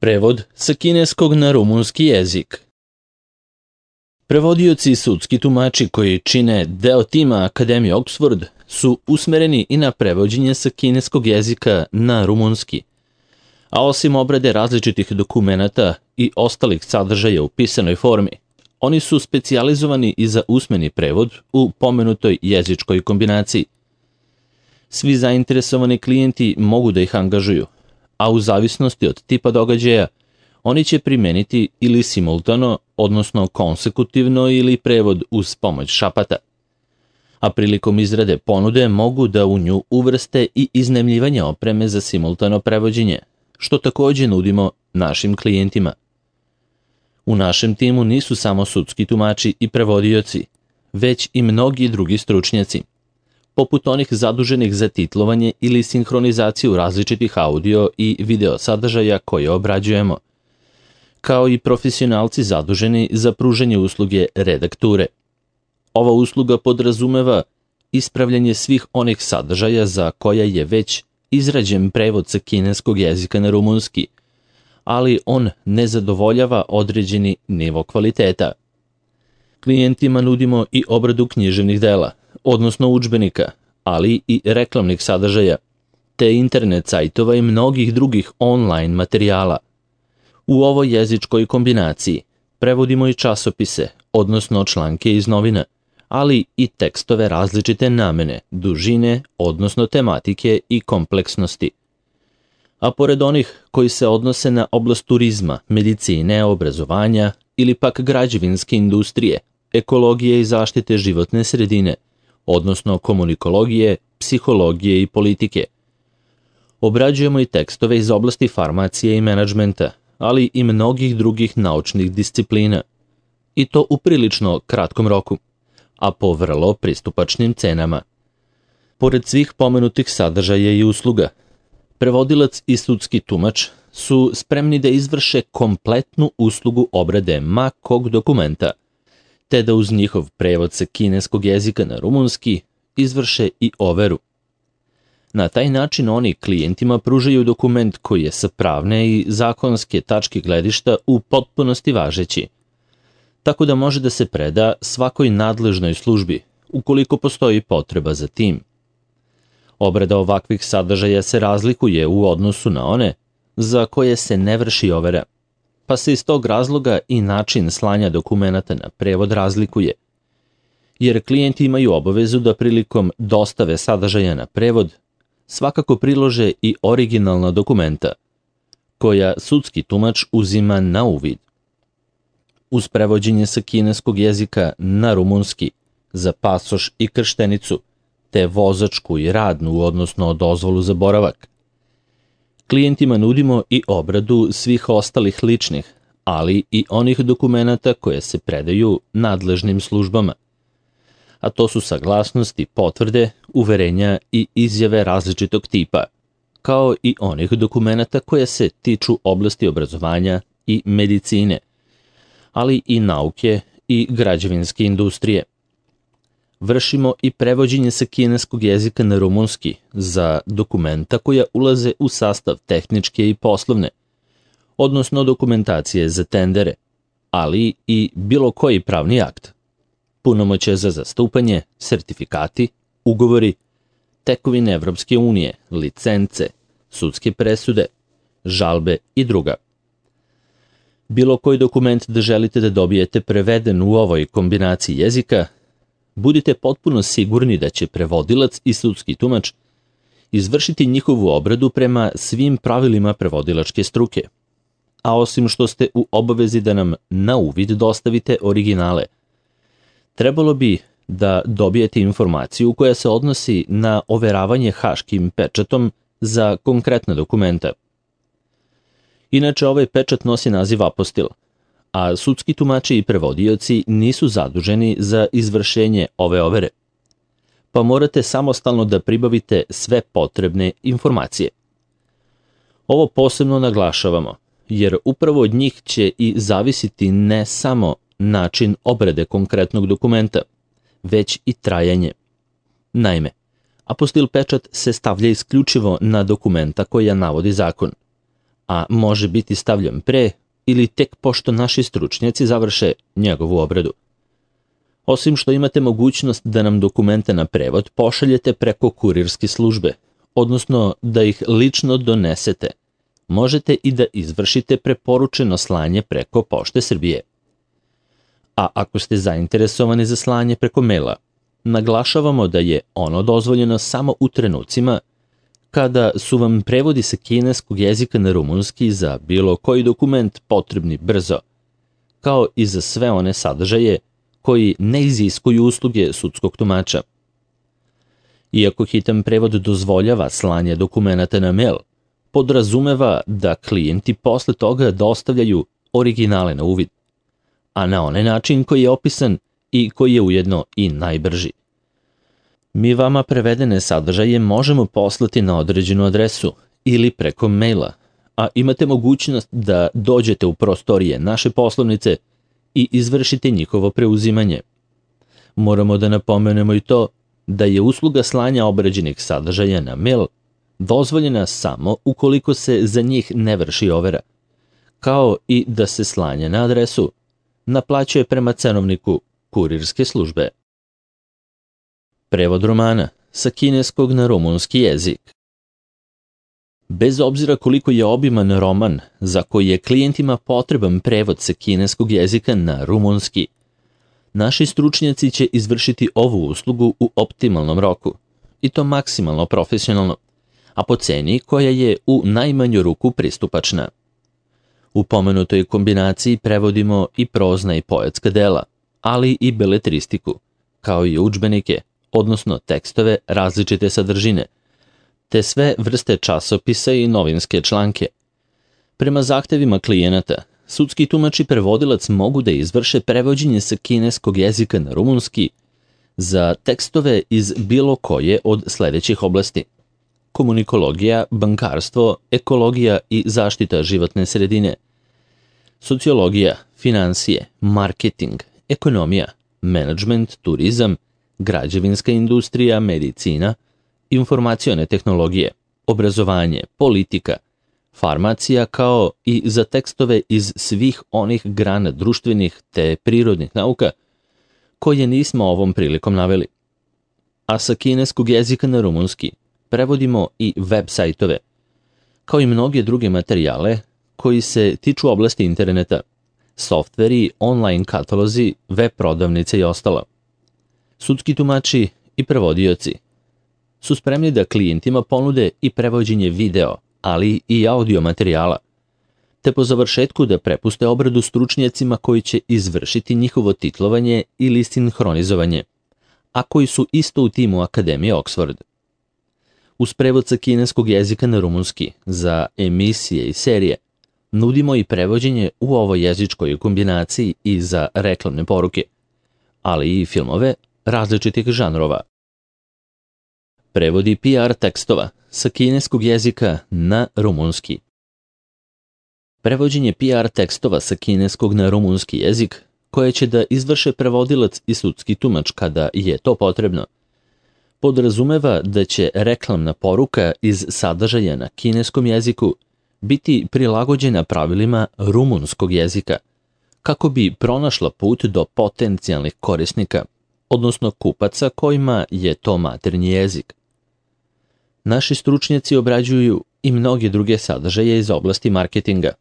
Prevod sa kineskog na rumunski jezik. Prevodioci i sudski tumači koji čine deo tima Akademije Oxford su usmereni i na prevođenje sa kineskog jezika na rumunski. A osim obrade različitih dokumenata i ostalih sadržaja u pisanoj formi, oni su specijalizovani i za usmeni prevod u pomenutoj jezičkoj kombinaciji. Svi zainteresovani klijenti mogu da ih angažuju, a u zavisnosti od tipa događaja, oni će primeniti ili simultano, odnosno konsekutivno ili prevod uz pomoć šapata. A prilikom izrade ponude mogu da u nju uvrste i iznajmljivanje opreme za simultano prevođenje, što takođe nudimo našim klijentima. U našem timu nisu samo sudski tumači i prevodioci, već i mnogi drugi stručnjaci, poput onih zaduženih za titlovanje ili sinhronizaciju različitih audio i video sadržaja koje obrađujemo, kao i profesionalci zaduženi za pružanje usluge redakture. Ova usluga podrazumeva ispravljanje svih onih sadržaja za koja je već izrađen prevod sa kineskog jezika na rumunski, ali on ne zadovoljava određeni nivo kvaliteta. Klijentima nudimo i obradu književnih dela, odnosno udžbenika, ali i reklamnih sadržaja, te internet sajtova i mnogih drugih online materijala. U ovoj jezičkoj kombinaciji prevodimo i časopise, odnosno članke iz novina, ali i tekstove različite namene, dužine, odnosno tematike i kompleksnosti. A pored onih koji se odnose na oblast turizma, medicine, obrazovanja ili pak građevinske industrije, ekologije i zaštite životne sredine, odnosno komunikologije, psihologije i politike. Obrađujemo i tekstove iz oblasti farmacije i menadžmenta, ali i mnogih drugih naučnih disciplina. I to u prilično kratkom roku, a po vrlo pristupačnim cenama. Pored svih pomenutih sadržaja i usluga, prevodilac i sudski tumač su spremni da izvrše kompletnu uslugu obrade ma kog dokumenta, te da uz njihov prevod sa kineskog jezika na rumunski izvrše i overu. Na taj način oni klijentima pružaju dokument koji je sa pravne i zakonske tačke gledišta u potpunosti važeći, tako da može da se preda svakoj nadležnoj službi ukoliko postoji potreba za tim. Obrada ovakvih sadržaja se razlikuje u odnosu na one za koje se ne vrši overa, pa se iz tog razloga i način slanja dokumenata na prevod razlikuje, jer klijenti imaju obavezu da prilikom dostave sadržaja na prevod svakako prilože i originalna dokumenta, koja sudski tumač uzima na uvid. Uz prevođenje sa kineskog jezika na rumunski za pasoš i krštenicu, te vozačku i radnu, odnosno dozvolu za boravak, klijentima nudimo i obradu svih ostalih ličnih, ali i onih dokumenata koje se predaju nadležnim službama, a to su saglasnosti, potvrde, uverenja i izjave različitog tipa, kao i onih dokumenata koje se tiču oblasti obrazovanja i medicine, ali i nauke i građevinske industrije. Vršimo i prevođenje sa kineskog jezika na rumunski za dokumenta koja ulaze u sastav tehničke i poslovne, odnosno dokumentacije za tendere, ali i bilo koji pravni akt, punomoćje za zastupanje, sertifikati, ugovori, tekovine Evropske unije, licence, sudske presude, žalbe i druga. Bilo koji dokument da želite da dobijete preveden u ovoj kombinaciji jezika, budite potpuno sigurni da će prevodilac i sudski tumač izvršiti njihovu obradu prema svim pravilima prevodilačke struke. A osim što ste u obavezi da nam na uvid dostavite originale, trebalo bi da dobijete informaciju koja se odnosi na overavanje haškim pečatom za konkretna dokumenta. Inače, ovaj pečat nosi naziv apostil, a sudski tumači i prevodioci nisu zaduženi za izvršenje ove overe, pa morate samostalno da pribavite sve potrebne informacije. Ovo posebno naglašavamo, jer upravo od njih će i zavisiti ne samo način obrade konkretnog dokumenta, već i trajanje. Naime, apostil pečat se stavlja isključivo na dokumenta koja navodi zakon, a može biti stavljen pre ili tek pošto naši stručnjaci završe njegovu obradu. Osim što imate mogućnost da nam dokumente na prevod pošaljete preko kurirske službe, odnosno da ih lično donesete, možete i da izvršite preporučeno slanje preko Pošte Srbije. A ako ste zainteresovani za slanje preko maila, naglašavamo da je ono dozvoljeno samo u trenucima kada su vam prevodi sa kineskog jezika na rumunski za bilo koji dokument potrebni brzo, kao i za sve one sadržaje koji ne iziskuju usluge sudskog tumača. Iako hitan prevod dozvoljava slanje dokumenata na mail, podrazumeva da klijenti posle toga dostavljaju originale na uvid, a na onaj način koji je opisan i koji je ujedno i najbrži. Mi vama prevedene sadržaje možemo poslati na određenu adresu ili preko maila, a imate mogućnost da dođete u prostorije naše poslovnice i izvršite njihovo preuzimanje. Moramo da napomenemo i to da je usluga slanja obrađenih sadržaja na mail dozvoljena samo ukoliko se za njih ne vrši overa, kao i da se slanje na adresu naplaćuje prema cenovniku kurirske službe. Prevod romana sa kineskog na rumunski jezik. Bez obzira koliko je obiman roman za koji je klijentima potreban prevod sa kineskog jezika na rumunski, naši stručnjaci će izvršiti ovu uslugu u optimalnom roku, i to maksimalno profesionalno, a po ceni koja je u najmanju ruku pristupačna. U pomenutoj kombinaciji prevodimo i prozna i poetska dela, ali i beletristiku, kao i udžbenike, odnosno tekstove različite sadržine, te sve vrste časopisa i novinske članke. Prema zahtevima klijenata, sudski tumač i prevodilac mogu da izvrše prevođenje sa kineskog jezika na rumunski za tekstove iz bilo koje od sledećih oblasti: komunikologija, bankarstvo, ekologija i zaštita životne sredine, sociologija, finansije, marketing, ekonomija, menadžment, turizam, građevinska industrija, medicina, informacione tehnologije, obrazovanje, politika, farmacija, kao i za tekstove iz svih onih grana društvenih te prirodnih nauka koje nismo ovom prilikom naveli. A sa kineskog jezika na rumunski prevodimo i web sajtove, kao i mnoge druge materijale koji se tiču oblasti interneta, softveri, online katalozi, web prodavnice i ostalo. Sudski tumači i prevodioci su spremni da klijentima ponude i prevođenje video, ali i audio materijala, te po završetku da prepuste obradu stručnjacima koji će izvršiti njihovo titlovanje ili sinhronizovanje, a koji su isto u timu Akademije Oxford. Uz prevod sa kineskog jezika na rumunski za emisije i serije nudimo i prevođenje u ovoj jezičkoj kombinaciji i za reklamne poruke, ali i filmove različitih žanrova. Prevodi PR tekstova sa kineskog jezika na rumunski. Prevođenje PR tekstova sa kineskog na rumunski jezik, koje će da izvrše prevodilac i sudski tumač kada je to potrebno, podrazumeva da će reklamna poruka iz sadržaja na kineskom jeziku biti prilagođena pravilima rumunskog jezika, kako bi pronašla put do potencijalnih korisnika, odnosno kupaca kojima je to maternji jezik. Naši stručnjaci obrađuju i mnoge druge sadržaje iz oblasti marketinga,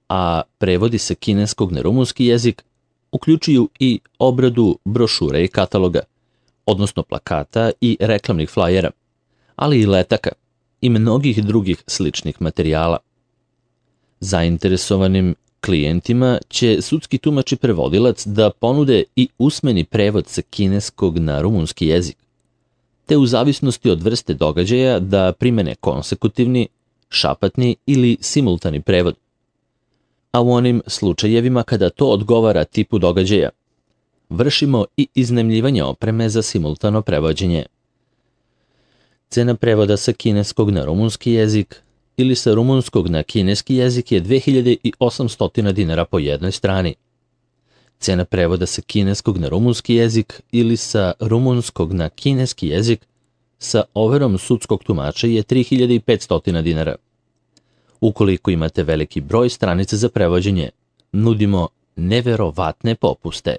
a prevodi sa kineskog na rumunski jezik uključuju i obradu brošura i kataloga, odnosno plakata i reklamnih flajera, ali i letaka i mnogih drugih sličnih materijala. Zainteresovanim klijentima će sudski tumač i prevodilac da ponude i usmeni prevod sa kineskog na rumunski jezik, te u zavisnosti od vrste događaja da primene konsekutivni, šapatni ili simultani prevod. A u onim slučajevima kada to odgovara tipu događaja, vršimo i iznajmljivanje opreme za simultano prevođenje. Cena prevoda sa kineskog na rumunski jezik ili sa rumunskog na kineski jezik je 2800 dinara po jednoj strani. Cena prevoda sa kineskog na rumunski jezik ili sa rumunskog na kineski jezik sa overom sudskog tumača je 3500 dinara. Ukoliko imate veliki broj stranica za prevođenje, nudimo neverovatne popuste.